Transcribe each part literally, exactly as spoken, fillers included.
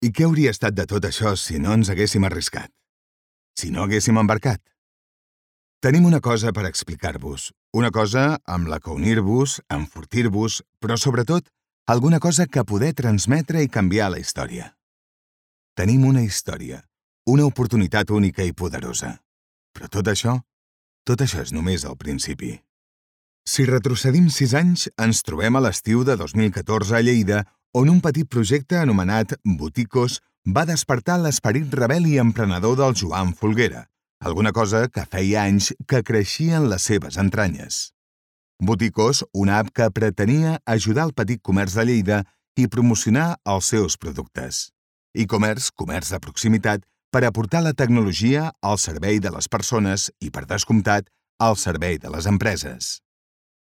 I què hauria estat de tot això si no ens haguéssim arriscat? Si no haguéssim embarcat? Tenim una cosa per explicar-vos, una cosa amb la que unir-vos, enfortir-vos, però sobretot alguna cosa que poder transmetre i canviar la història. Tenim una història, una oportunitat única i poderosa. Però tot això, tot això és només el principi. Si retrocedim sis anys, ens trobem a l'estiu de dos mil catorze a Lleida, on un petit projecte anomenat Boticos va despertar l'esperit rebel i emprenedor del Joan Folguera, alguna cosa que feia anys que creixia en les seves entranyes. Boticos, una app que pretenia ajudar el petit comerç de Lleida i promocionar els seus productes. E-commerce, comerç de proximitat, per aportar la tecnologia al servei de les persones i, per descomptat, al servei de les empreses.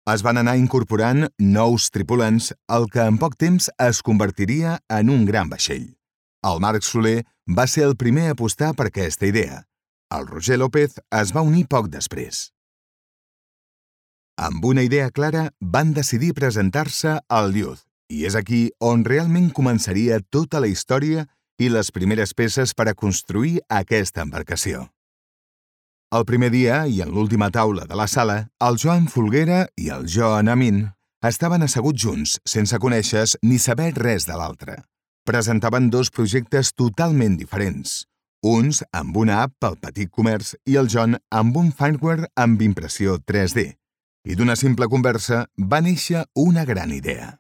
Es van anar incorporant nous tripulants, el que en poc temps es convertiria en un gran vaixell. El Marc Soler va ser el primer a apostar per aquesta idea. El Roger López es va unir poc després. Amb una idea clara, van decidir presentar-se al Youth, i és aquí on realment començaria tota la història i les primeres peces per a construir aquesta embarcació. El primer dia i en l'última taula de la sala, el Joan Folguera i el Joan Amin estaven asseguts junts, sense conèixer ni saber res de l'altre. Presentaven dos projectes totalment diferents, uns amb una app pel petit comerç i el John amb un firmware amb impressió tres D. I d'una simple conversa va néixer una gran idea.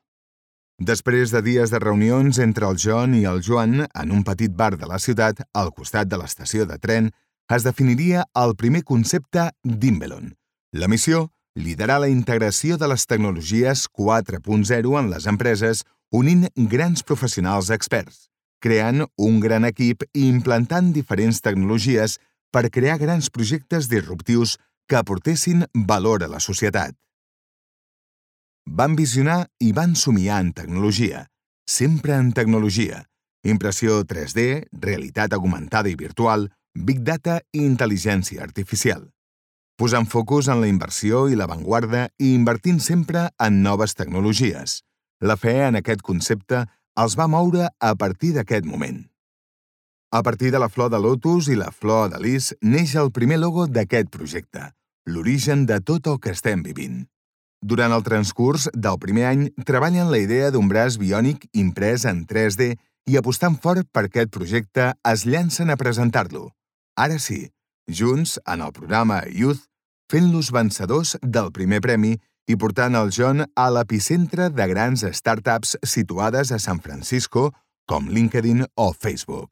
Després de dies de reunions entre el John i el Joan en un petit bar de la ciutat, al costat de l'estació de tren, es definiria el primer concepte d'Invelon. La missió, liderar la integració de les tecnologies quatre punt zero en les empreses, unint grans professionals experts, creant un gran equip i implantant diferents tecnologies per crear grans projectes disruptius que aportessin valor a la societat. Van visionar i van somiar en tecnologia, sempre en tecnologia, impressió tres D, realitat augmentada i virtual, Big Data i intel·ligència artificial. Posant focus en la inversió i l'avantguarda i invertint sempre en noves tecnologies. La fe en aquest concepte els va moure a partir d'aquest moment. A partir de la flor de lotus i la flor de lis neix el primer logo d'aquest projecte, l'origen de tot el que estem vivint. Durant el transcurs del primer any treballen la idea d'un braç biònic imprès en tres D i apostant fort per aquest projecte es llancen a presentar-lo. Ara sí, junts, en el programa Youth, fent-los vencedors del primer premi i portant el John a l'epicentre de grans startups situades a San Francisco, com LinkedIn o Facebook.